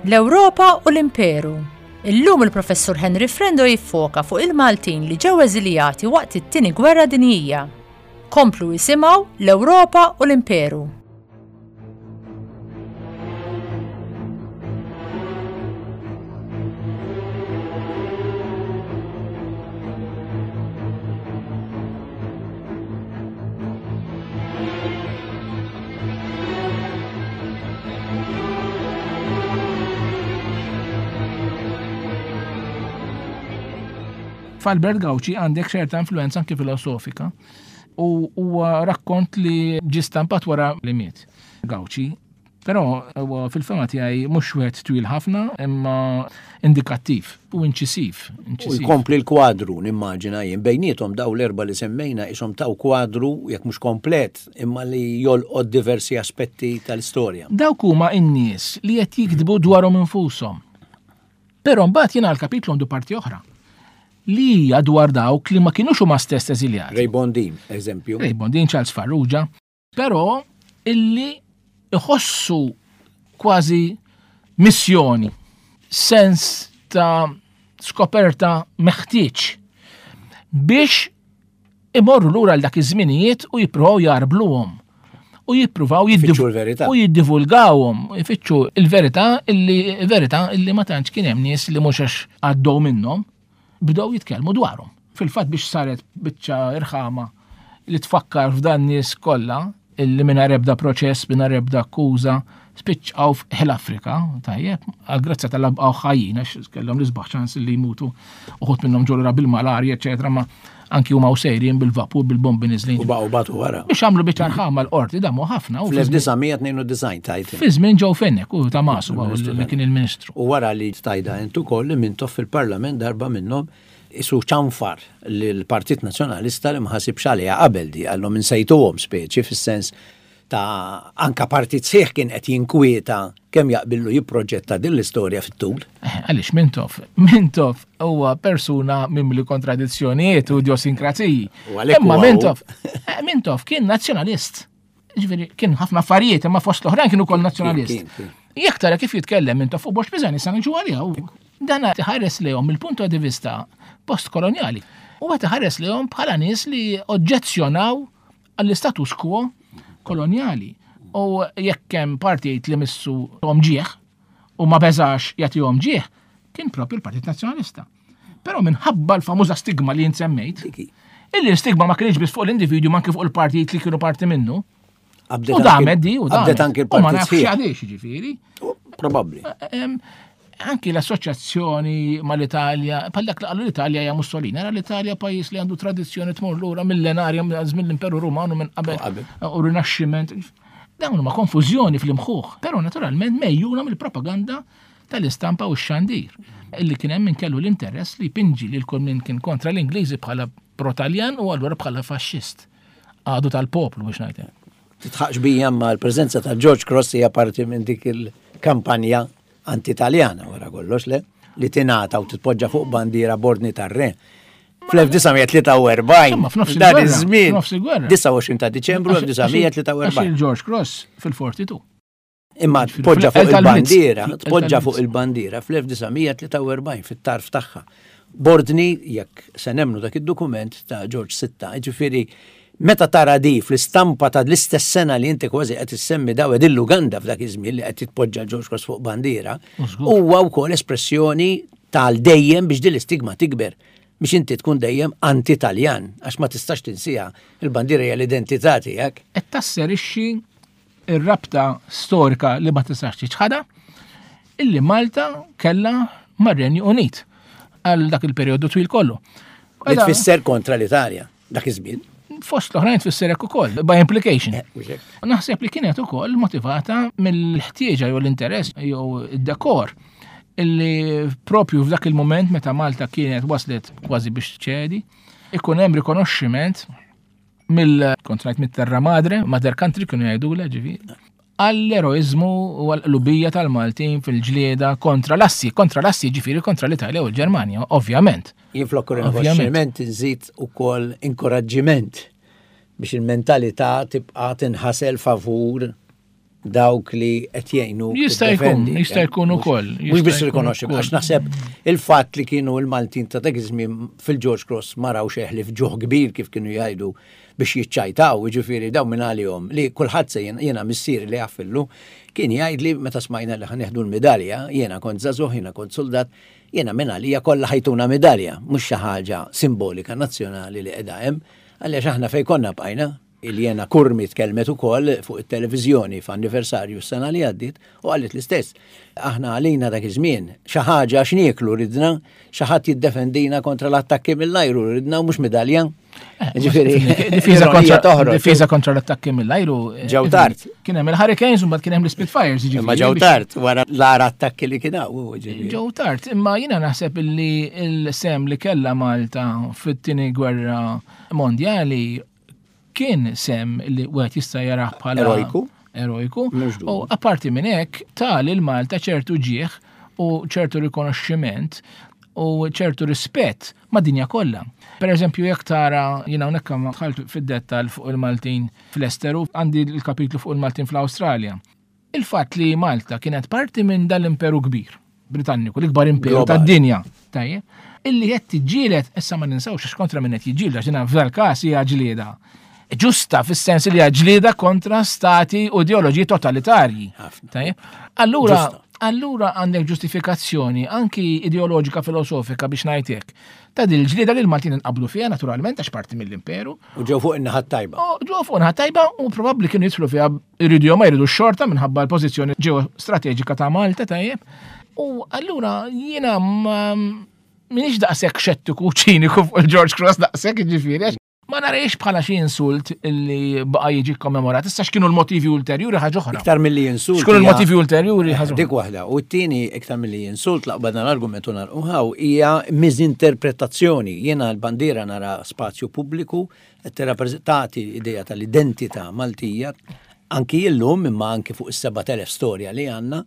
L-Ewropa u l-Imperu. Illum il-Professur Henry Frendo jiffoka fuq il-Maltin li ġew eżiljati waqt it-tieni Gwerra Dinjija. Komplu jisimgħu l-Ewropa u l-Imperu. F'Albert Gauci għandek ċerta influenza anki filosofika u huwa rakkont li ġie stampat wara li miet Gauci. Però huwa fil-fehma tiegħi mhux wieħed twil ħafna imma indikattiv u inċisiv. U jkompli l-kwadru, nimmaġina jien, bejniethom daw l-erba li semmejna ishom taw kwadru, jekk mhux komplet, imma li jolqod diversi aspetti tal-istorja. Dawk huma n-nies li qed jiktbu dwarhom infushom. Però mbagħad jiena l-kapitlu għandu parti oħra li hija dwar dawk li ma kinux huma stess eżiljati. Ray Bondin, eżempju. Ray Bondin, Charles Farrugia, però illi iħossu kważi missjoni, sens ta' skoperta meħtieġ biex imorru lura għal dak iż-żminijiet u jippruvaw jarbluhom u jippruvaw Ifittxu l-verità. u jiddivulgawhom, ifittxu il-verità illi verità illi ma tantx kien hemm nies li mhux għax għaddew minnhom bdew jitkellmu dwarhom. Fil-fatt biex saret biċċa irħama li tfakkar f'dan nies kollha illi mingħajr ebda proċess, mingħajr ebda akkuża, spiċċaw fl-Afrika, tajjeb, għal-grazzja tal-baqgħu ħajjin, għax kellhom l-isbaħ ċans li jmutu, uħud minnhom ġolura bil-malarja, eċetera, ma anki huma u sejrin bil-vapur, bil-bombi niżlin. U baqgħu batu wara. Biex għamlu biċċa rħama l-qorti, damu ħafna. u fi żmien- Fl-elf disa' mija tnejn u disgħin tajt. Fi żmien Joe Fenech u ta' Masu, li kien il-ministru. U wara li tajda intu koll li Mintoff fil-parlament darba minnhom isu ċanfar li l-Partit Nazzjonalista li ma ħasibx għaliha qabel di, għallhom insejtuhom speċi fis-sens ta' anka partit sħiħ kien qed jinkwieta kemm jaqbillu jipproġetta din l-istorja fit-tul. Eh, Għaliex Mintoff, Mintoff huwa persuna mimli kontradizzjonijiet u idiosinkraziji. U għalhekk Imma huwa hu. Mintoff, eh, Mintoff kien nazzjonalist. Ġifieri kien ħafna affarijiet, imma fost l-oħrajn kienu ukoll nazzjonalist. Kien, kien. Jekk tara kif jitkellem Mintoff u Borg Pisani sa niġu għaliha. u Dan tħares lejhom mill-punto di vista postkoloniali. U qed iħares lejhom bħala nies li oġġezzjonaw għall-status quo koloniali. U jekk hemm partit li missu tahom ġieħ u ma beżax jagħtihom ġieħ, kien propju l-Partit Nazzjonalista. Però minħabba l-famuża stigma li semmejt, Diki. illi l-stigma ma kienx biss fuq l-individwu ma anke fuq il-partit li kienu parti minnu. Qabdet U anki- damet di, u damet. Qabdet anki U ma l-partit nafx sħiħ. għaliex ġifieri. Probabbli. Em, Anki l-assoċjazzjoni mal-Italja, bħal dak li qalu l-Italja hija Mussolini, era l-Italja pajjiż li għandu tradizzjoni tmur lura millenarja minn żmien l-Imperu Rumanu minn qabel U qabel. u Rinaxximent. Dawn huma konfużjoni fl-imħuħ, però naturalment mejjuna mill-propaganda tal-istampa u x-xandir. Illi kien hemm min kellu l-interess li pinġi li l min kien kontra l-Ingliżi bħala pro-Taljan u allura bħala faxxist. Għadu tal-poplu biex ngħid. Titħaqx bija ma l-preżenza ta' George Cross hija parti minn dik il-kampanja anti-Italjana wara kollox, le? Li tingħata u titpoġġa fuq bandiera b'ordni tar-re. Fl-elf disa' mija tlieta u erbgħin, Insomma, f'nofs dan il-gwerra, iż-żmien, f'nofs il-gwerra. disgħa u għoxrin ta' Diċembru Għax elf disa' mija tlieta u erbgħin. il-George Cross fil-erbgħa u tletin. Imma Ġifieri tpoġġa fuq fl- tal-Blitz. il-bandiera, Fl- tpoġġa tal-Blitz. fuq il-bandiera fl-elf disa' mija tlieta u erbgħin fit-tarf tagħha. B'ordni, jekk se nemmnu dak id-dokument ta' George Sitta, ġifieri meta tara di fl-istampa ta' l-istess sena li inti kważi qed issemmi daw l-Uganda f'dak iż-żmien li qed titpoġġa George Cross fuq bandiera, U żgur. huwa wkoll espressjoni tal dejjem biex din l-istigma tikber biex inti tkun dejjem anti-Taljan, għax ma tistax tinsiha, il-bandiera hija l-identità tiegħek. Qed tasserixxi ir-rabta storika li ma tistax tiċħadha illi Malta kellha mar-Renju Unit għal dak il-perjodu twil kollu. Li tfisser kontra l-Italja, dak iż-żmien. Fost l-oħrajn tfisser hekk ukoll, by implication. Eh, mhux hekk. Naħseb li kienet ukoll motivata mill-ħtieġa jew l-interess jew id-dekor illi propju f'dak il-moment meta Malta kienet waslet kważi biex ċedi, ikun hemm rikonoxximent mill kont ngħid mit-terra madre, mother country kienu jgħidulha ġifieri, għall-eroizmu u għall-qlubija tal-Maltin fil-ġlieda kontra l-assi, kontra l-assi ġifieri kontra l-Italja u l-Ġermanja, ovvjament. Jien flok Ovvjament. rikonoxximent nżid ukoll inkoraġġiment biex il-mentalità tibqa' tinħasel favur dawk li qed jgħinu. Jista' jkun, tiddefendi. jista' jkun Mhux- ukoll, Mhux jista' biss jkun rikonoxxi, ukoll. għax naħseb il-fatt li kienu il-Maltin ta' dak iż-żmien fil-George Cross ma raw xeħli f'ġuħ kbir kif kienu jgħidu biex jiċċajtaw, jiġifieri daw minn għalihom li kulħadd se jiena jiena missieri li jaffillu kien jgħid li meta smajna li ħa nieħdu l-medalja, jiena kont żagħżugħ, jiena kont soldat, jiena minn għalija kollha ħa jtuna medalja, mhux xi ħaġa simbolika nazzjonali li qiegħda hemm, għaliex aħna fejn konna bqajna, Iljena Curmi tkellmet ukoll fuq it-televiżjoni f'anniversarju s-sena li għaddiet u qalet l-istess. Aħna għalina dak iż-żmien xi ħaġa x'nieklu ridna, xi ħadd jiddefendina kontra l-attakki mill-ajru ridna u mhux medalja. Ġifieri, Difiża ironija kontra, toħroġ. difiża kontra l-attakki mill-ajru. eh, Ġew tard. Kien hemm il-Hurricanes u mbagħad kien hemm l-Spitfires. jiġifieri, Imma ġew biex- tard wara l-agħar attakki li kien hawn. ġifieri. Ġew tard, imma jiena naħseb illi il-sehem li kella Malta fit-tieni gwerra mondjali kien sehem li wieħed jista' jarah bħala Erojku. Erojku. Mhux dubju. U apparti minn hekk ta lil Malta ċertu ġieħ u ċertu rikonoxximent u ċertu rispett mad-dinja kollha. Per eżempju, jekk tara, jiena hawnhekk ma dħalt fid-dettal fuq il-Maltin fl-Esteru, għandi l-kapitlu fuq il-Maltin fl-Awstralja. Il-fatt li Malta kienet parti minn dal-imperu kbir Britanniku, l-ikbar imperu Globali. tad-dinja, tajjeb, illi qed tiġġieled, issa ma ninsawx għax kontra minn qed jiġġieled, għax jiena f'dal-każ hija ġlieda. Ġusta fis-sens li hija ġlieda kontra stati u ideoloġiji totalitarji. Ħafna. Tajjeb. Allura, Ġusta. allura għandek ġustifikazzjoni anki ideoloġika filosofika biex ngħidlek. Ta' dil ġlieda li l-Maltin inqablu fiha naturalment għax parti mill-imperu. U ġew fuq in-naħa tajba. U ġew fuq naħa tajba u probabbli kienu jidħlu fiha jridu jew ma jridu xorta minħabba l-pożizzjoni ġeostrateġika ta' Malta tajjeb. U allura jiena ma minix daqshekk xettiku u ċiniku fuq il-George Cross daqshekk jiġifieri għax ma nariex bħala xi insult illi baqa' jiġi kommemorat. Issa x'kienu l-motivi ulterjuri ħaġa oħra. Iktar milli insult. X'kienu hija- l-motivi ulterjuri ħaġa oħra. Dik waħda. U t-tieni iktar milli insult laqbadna l-argumentu nagħlquha hija miżinterpretazzjoni. Jiena l-bandiera nara spazju pubbliku qed tirrappreżentati idea tal-identità Maltija anki illum imma anki fuq is-sebat elef storja li għandna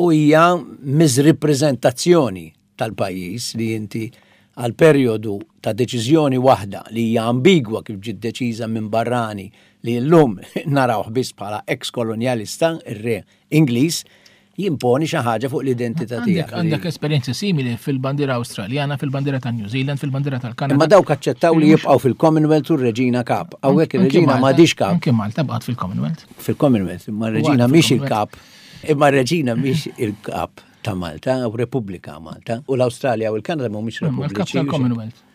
u hija miżrippreżentazzjoni tal-pajjiż li inti għal perjodu ta' deċiżjoni waħda li hija ambigwa kif ġiet deċiża minn barrani li llum narawh biss bħala ex-kolonjalista, ir-re Ingliż, jimponi xi ħaġa fuq l-identità Għandek tiegħek. għandek esperjenzi simili fil-bandiera Awstraljana, fil-bandiera ta' New Zealand, fil-bandiera tal-Kanada. Imma dawk aċċettaw li jibqgħu fil-Commonwealth u r-Reġina kap. Hawnhekk ir-Reġina m'għadix kap Anki Malta baqgħet fil-Commonwealth. fil-Commonwealth, imma r-Reġina Għad mhix fil-Commonwealth. il-kap. Imma r-Reġina mhix il-kap ta' Malta u Repubblika Malta. U l-Awstralja u l-Kanada mhumiex Imma l-kap repubbliċi. tal-Commonwealth.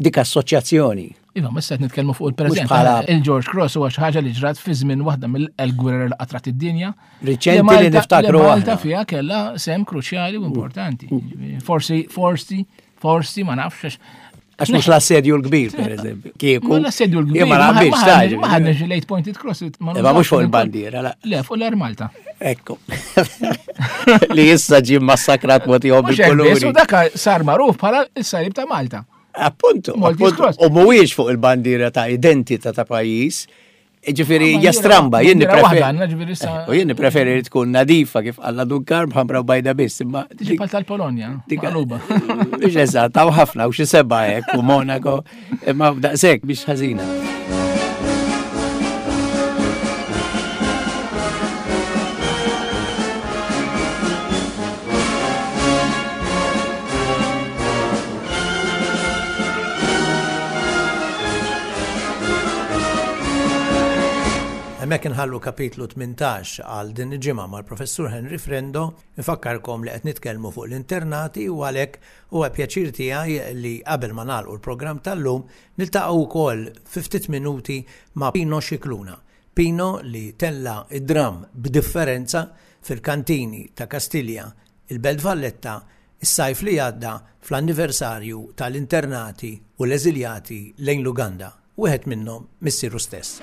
Dik assoċjazzjoni. Iva, ma issa qed nitkellmu fuq il-preżent. Mhux bħala- Il-George Cross huwa xi ħaġa li ġrat fi żmien waħda mill-gwerer li qatrat id-dinja. Riċenti li Malta- niftakru li Malta aħna. fiha kellha sehem kruċjali u importanti. Forsi, forsi, forsi ma nafx għax- Għax mhux l-assedju l-kbir, per eżempju. Kieku. Ma l-assedju l-kbir. Jien ma naqbilx, ma ta' ħadniex- Ma ħadniex l-eight pointed cross. ma Imma mhux fuq nużawx il-bandiera, la. Le, fuq l-Air Malta. Ekku. Li issa ġie massakrat mod ieħor Mhux hekk biss, U bil-kuluri. daka sar magħruf bħala s-salib ta' Malta. Appuntu, Maltese appuntu. Cross. U mhuwiex fuq il-bandiera ta' identità ta' pajjiż. Ġifieri hija stramba, jien Bandiera waħda nippreferi. għandna, ġifieri issa- U jien nippreferi li tkun nadifa kif qalla Dun Karm ħamra u bajda biss, imma Tiġi bħal tal-Polonja, Dik- maqluba. Mhux eżatt, hawn ħafna u xi seba' hekk u Monaco, imma daqshekk biex ħażina. Hemmhekk inħallu kapitlu tmintax għal din il-ġimgħa mal-Professur Henry Frendo, nfakkarkom li qed nitkellmu fuq l-internati u għalhekk huwa pjaċir tiegħi li qabel ma nagħlqu l-programm tal-lum niltaqgħu wkoll fi ftit minuti ma' Pino Scicluna. Pino li tella id-dram b'differenza fil-kantini ta' Kastilja, il-Belt Valletta, is-sajf li għadda fl-anniversarju tal-internati u l-eżiljati lejn l-Uganda, wieħed minnhom missieru stess.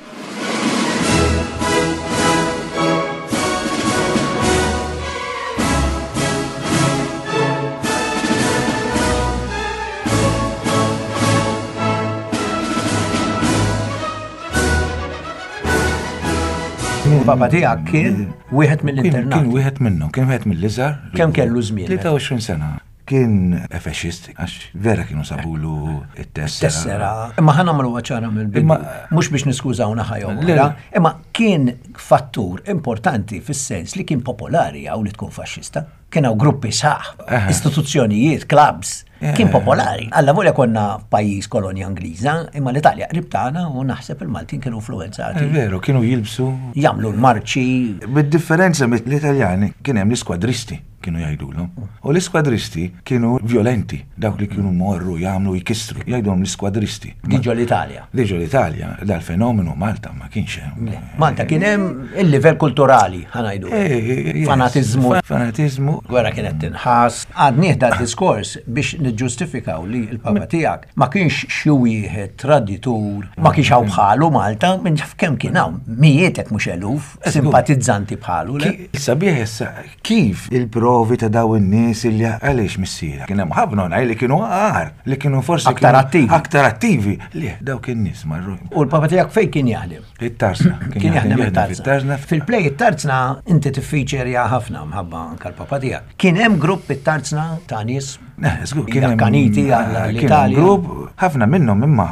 Papa tiegħek kien wieħed Kien mill-internat. kien wieħed minnhom, kien wieħed mill-iżgħar. Kemm kellu żmien? tlieta u għoxrin sena. Kien faxxist, għax vera kienu sabulu it-tessera. Tessera. Imma ħa nagħmlu ċara mill-bidu. Imma- Mhux biex niskużaw naħa jew Le, oħra, le. imma kien fattur importanti fis-sens li kien popolari hawn li tkun faxxista. Kien hawn gruppi sħaħ, Aha. istituzzjonijiet, clubs. Kien popolari. Alla volja konna pajjiż kolonja Ingliża, imma l-Italja qrib tagħna u naħseb il-Maltin kienu influenzati. Veru, kienu jilbsu. Jagħmlu l-marċi. Bid-differenza mit-Italjani kien hemm l-iskwadristi kienu jgħidulhom. U l-iskwadristi kienu violenti, dawk li kienu morru jagħmlu jkissru, jgħidulhom l-iskwadristi. Diġo l-Italja. Diġo l-Italja, dal-fenomenu Malta ma kienx hemm. Malta kien hemm il-livell kulturali, ħa ngħidu. Eh, yes. Fanatizmu. Fanatizmu. Gwerra kienet tinħass. Għad da diskors biex niġġustifikaw li l-papa tiegħek ma kienx xi wieħed traditur, ma kienx hawn bħalu Malta, minn kemm kien hawn mijiet jekk mhux eluf simpatizzanti bħalu. le? Ki- Sabiħ issa, kif il-provi ta' daw in-nies illi għaliex missiera? Kien hemm ħafna oħrajn li kienu agħar, li kienu forsi Aktar kienu attivi. Aktar attivi. Li dawk in-nies marru. U l-papa tiegħek fejn kien jaħdem? It-tarzna. Kien jaħdem it-tarzna. Fit-tarzna. Fil-play it-tarzna inti tiffeaturja ħafna mħabba anka l-papa tiegħek. Kien hemm grupp it-tarzna ta' nies Eh, żgur, kien hemm- akkaniti kien hemm għall-Italja. grupp, ħafna minnhom imma,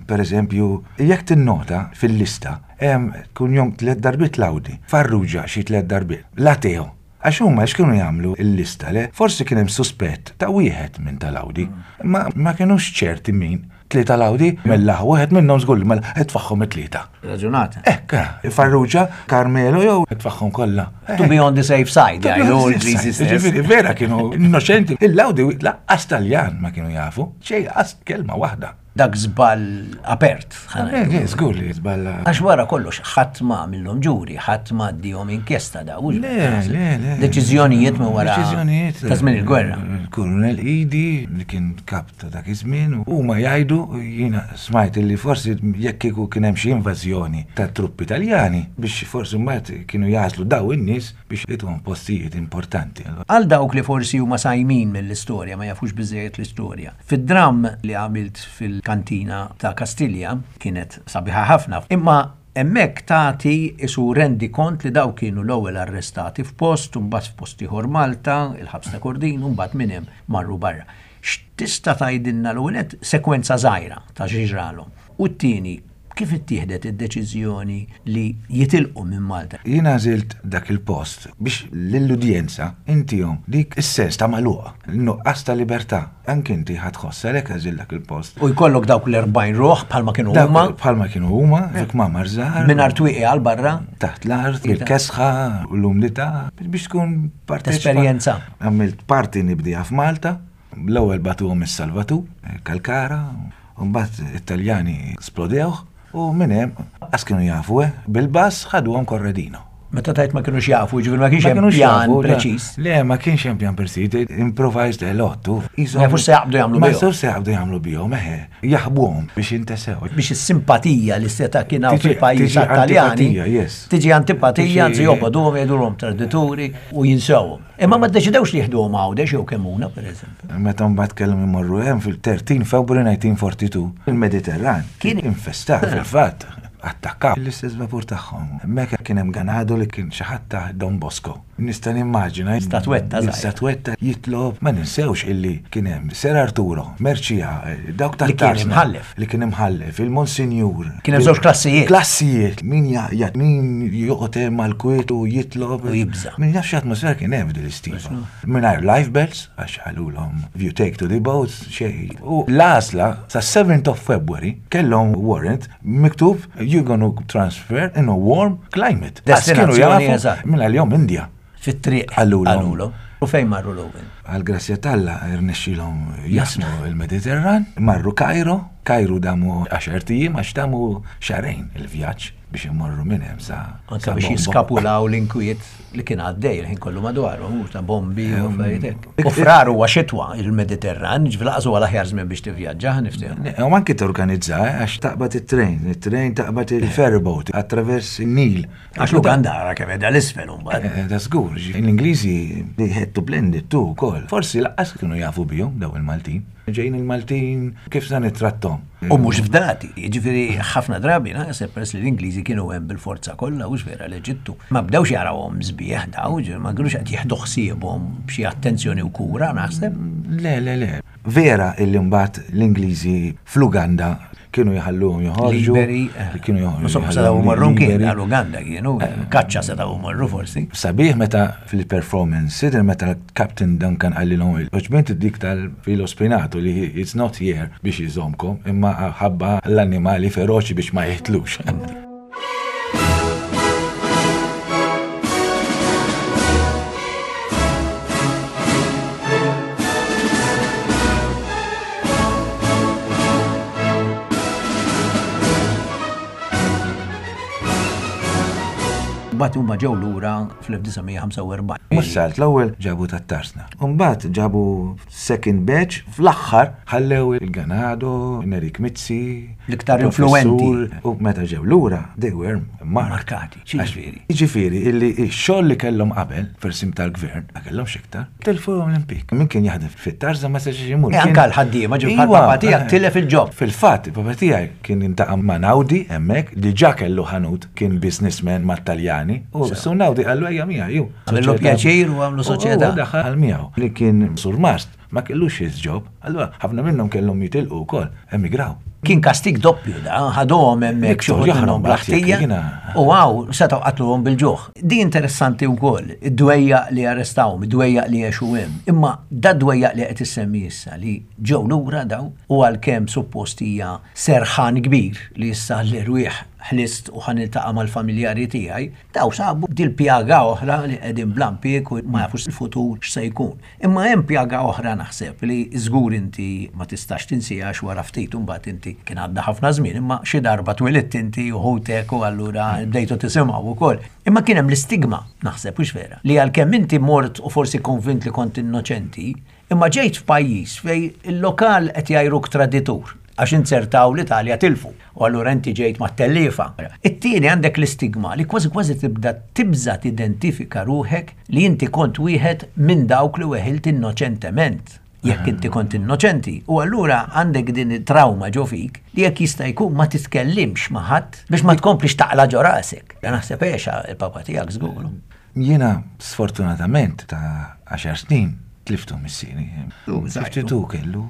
per eżempju, jekk tinnota fil-lista, hemm kun tliet darbiet Laudi, Farrugia xi tliet darbiet, Lateo. Għax huma x'kienu jagħmlu il-lista le, forsi kien hemm suspett ta' wieħed minn tal-Audi, ma ma kienux ċerti min. Tlieta Laudi, mela wieħed minnhom żgur mela itfagħhom it-tlieta. Raġunata. Ekka, Farrugia, Carmelo jew itfagħhom kollha. To be on the safe side, jgħidu l-Ingliżi stess. Ġifieri, vera kienu innoċenti. Il-Laudi lanqas Taljan ma kienu jafu, xejn qas kelma waħda. Dak żball apert. ħa ngħidu. Eh, żgur li żballa. Għax wara kollox, ħadd ma għamillhom ġuri, ħadd ma għaddihom inkjesta da. hux Le, le, le. Deċiżjonijiet minn wara Deċiżjonijiet. ta' żmien il-gwerra. Il-Kurunel Idi, li kien kap ta' dak iż-żmien, huma jgħidu jiena smajt li forsi jekk kieku kien hemm xi invażjoni ta' truppi Taljani biex forsi mbagħad kienu jagħżlu daw in-nies biex ituhom postijiet importanti. Għal dawk li forsi huma sajmin mill-istorja, ma jafux biżejjed l-istorja. Fid-dram li għamilt fil-kantina ta' Kastilja kienet sabiħa ħafna, imma hemmhekk tagħti isu rendi kont li daw kienu l-ewwel arrestati f'post, u mbagħad f'post ieħor Malta, il-ħabs ta' Kordin, u mbagħad minn hemm marru barra. X'tista' tgħidilna l-ewwel nett sekwenza żgħira ta' x'ġralhom. U t-tieni, kif ittieħdet id-deċiżjoni li jitilqu minn Malta? Jiena għażilt dak il-post biex lill-udjenza intihom dik is-sens ta' magħluqa, nuqqas ta' libertà. Anke inti ħa tħoss għalhekk għażilt dak il-post. U jkollok dawk l-erbgħin ruħ bħalma kienu Dak huma bħalma kienu huma, fi kmamar żgħar. minn twieqi għal barra. Taħt l-art, il-kesħa u l-umdità biex tkun parteċipa. Esperjenza. Għamilt parti nibdija f'Malta, l-ewwel bagħtuhom is-Salvatur, Kalkara, u mbagħad it-Taljani splodewh u minn hemm qas kienu jafu, eh, bil-bus ħaduhom Corradino. Meta tajt ma kienux jafu, ġifieri ma kienx Ma hemm kienux pjan jafu, le. preċiż. Le, ma kienx hemm pjan preċiż, improvised a lot. tu. Ma jafux se jaqbdu jagħmlu Ma bihom. jafux se jaqbdu jagħmlu bihom, eħe, jaħbuhom biex jintesew. Biex is-simpatija li seta kien hawn Tiġi- fil-pajjiż tiġi Taljani. antipatija, yes. Tiġi antipatija, Tiġi- anzi jobogħduhom jgħidulhom tradituri u jinsewhom. Imma ma ddeċidewx li jieħduhom Għawdex jew Kemmuna, pereżempju. Meta mbagħad kellhom imorru hemm fil-tlettax February elf disa' mija u erbgħa u erbgħin, il-Mediterran Kien- kien infestat fil-fatt. Attakkaw l-istess vapur tagħhom. Hemmhekk kien hemm ganado li kien xi ħadd ta' Don Bosco. Nista' nimmaġina Statwetta żgħira. Statwetta jitlob ma ninsewx illi kien hemm Ser Arturo, Merċija, dawk Li kien tat-tarzna. imħallef. Li kien imħallef, il-Monsinjur. Kien hemm żewġ klassijiet. Klassijiet. Min jaqjat, min joqgħod hemm mal-kwiet u jitlob. U jibża'. Min jaf x'atmosfera kien hemm f'din l-istiva. Mingħajr life belts, għax qalulhom if you take to the boats, xejn. U l-għażla sa seventh of February kellhom warrant miktub you're gonna transfer in a warm climate. Għax kienu Destinazzjoni jafu eżatt. Minn għalihom India. Fit-triq. Qalulhom. Qalulhom. U fejn marru l-ewwel? Għal-grazzja t'Alla irnexxilhom jaqsmu il-Mediterran, marru Kajro, Kajru damu għaxart ijiem għax damu xahrejn il-vjaġġ biex imorru minn hemm sa. Anka sa biex Bombo. jiskapulaw l-inkwiet li kien għaddej il-ħin kollu madwarhom, u ta' bombi u affarijiet hekk. U frar huwa xitwa il-Mediterran, ġifieri lanqas huwa l-aħjar żmien biex tivvjaġġa, niftehmu. Ne, U anki torganizza, eh, għax taqbad it-train, it-train taqbad il-ferryboat, attraverso il-Nil. Għax l-Uganda ara kemm qiegħda l-isfel imbagħad. Eh, Da żgur, l-Ingliżi they had to blend it too ukoll. Forsi lanqas kienu jafu bihom daw il-Maltin. Ġejn il-Maltin kif sa nittrattom. U mhux fdati, jiġifieri ħafna drabi naħseb peress li l-Ingliżi kienu hemm bil-forza kollha u vera l-Eġittu. Ma bdewx jarawhom sbieħ daw, ġifieri ma kinux qed jieħdu ħsiebhom b'xi attenzjoni u kura naħseb. Le, le, le. Vera illi mbagħad l-Ingliżi fl-Uganda Kienu jħalluhom joħorġu. Liberi. Li kienu joħorġu. Insomma, setgħu morru kien liberi. għal-Uganda kienu, kaċċa setgħu morru forsi. Sabiħ meta fil-performance, sider meta Captain Duncan qalilhom il-oġbent dik tal-filo spinato li it's not here biex jżomkom, imma ħabba l-annimali feroċi biex ma jitlux. Mbagħad huma ġew lura fl-elf disa' mija ħamsa u erbgħin. Mhux salt, l-ewwel ġabu tat-tarsna. Mbagħad ġabu second batch, fl-aħħar ħallew il-Ganado, Nerik Mizzi, L-iktar professur, influenti. U meta ġew lura, they were marked. Markati, x'jiġifieri? Jiġifieri illi x-xogħol li kellhom qabel fir-sim tal-gvern, ma kellhomx iktar, telfuhom l-impjieg. Min kien jaħdem fit-tarża ma setax imur. E Kien- anka l-ħaddiema, ġifieri bħal Iwa, papà tiegħek eh. tilef il-job. Fil-fatt, il-papa tiegħi kien iltaqa' ma' Naudi hemmhekk, diġà kellu ħanut, kien businessman mat-Taljani, u su Naudi qallu ejja miegħi ju. Għamillu pjaċir u għamlu soċjetà. U daħal miegħu li kien surmast, ma kellux his job, allura ħafna minnhom kellhom jitilqu wkoll, emigraw. Kien kastig doppju da, ħadhom hemmhekk xi wħud Jaħrab minnhom mbagħad jekk bl-ħtija jiena- u għaw setgħu qatluhom bil-ġuħ. Di interessanti wkoll, id-dwejjaq li arrestawhom, id-dwejjaq li għexu hemm. Imma da dwejjaq li qed issemmi issa li ġew lura daw u għalkemm suppost hija serħan kbir li issa l-irwieħ ħlist u ħa niltaqa' mal-familjari tiegħi, daw sabu dil-pjaga oħra li qegħdin bla impjieg u ma jafux il-futur x'se jkun. Imma hemm pjaga oħra naħseb li żgur inti ma tistax tinsiha għax wara ftit imbagħad inti kien għadda ħafna żmien, imma xi darba twilidt inti u ħutek u allura bdejtu tisimgħu wkoll. Imma kien hemm l-istigma, naħseb hux vera, li għalkemm inti mort u forsi konvint li kont innoċenti, imma ġejt f'pajjiż fej il-lokal qed jgħajruk traditur għax inzertaw l-Italja tilfu. U allura inti ġejt ma' tellifa. It-tieni għandek l-istigma li kważi kważi tibda tibża tidentifika ruħek li inti kont wieħed minn dawk li weħilt innoċentement. Jekk inti kont innoċenti. U allura għandek din it-trauma ġo fik li jekk jista' jkun ma titkellimx ma' ħadd biex ma tkomplix taqla ġo rasek. Naħseb għexa il-papa tiegħek żgur. Jiena sfortunatament ta' għaxar snin tliftu missieri. U, żgħir. Fifty-two kellu.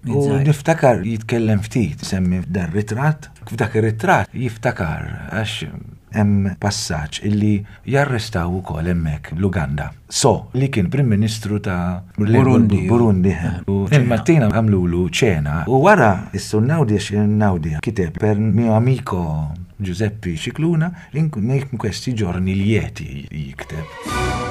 U Żgħir. niftakar jitkellem ftit, semmi dar ritratt, f'dak ir-ritratt jiftakar għax hemm passaġġ illi jarrestaw ukoll hemmhekk l-Uganda. So, li kien Prim Ministru ta' Burundi. Burundi. U il-Martina għamlulu ċena u wara is-sur Naudi Naudi kiteb per mio amico Giuseppe Scicluna in in questi giorni lieti jikteb.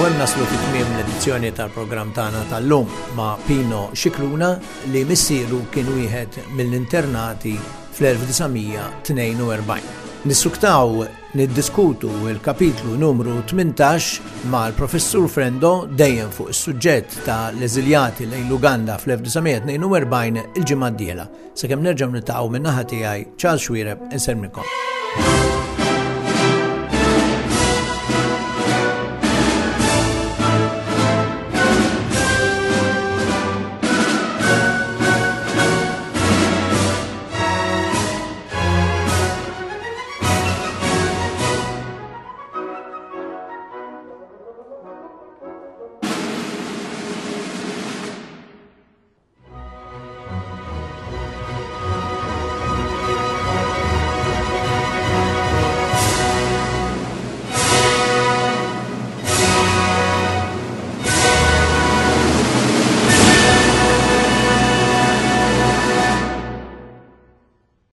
U hemm naslu fi tmiem l-edizzjoni tal-programm tagħna tal-lum ma' Pino Scicluna li missieru kien wieħed mill-internati fl-elf disa' mija tnejn u erbgħin. Nissuktaw niddiskutu il-kapitlu numru tmintax mal-professur Frendo dejjem fuq is-suġġett ta' l-eżiljati lejn l-Uganda fl-elf disa' mija tnejn u erbgħin il-ġimgħa d-dieħla. Sakemm nerġgħu niltaqgħu, min-naħa tiegħi Charles Xuereb insellmilkom.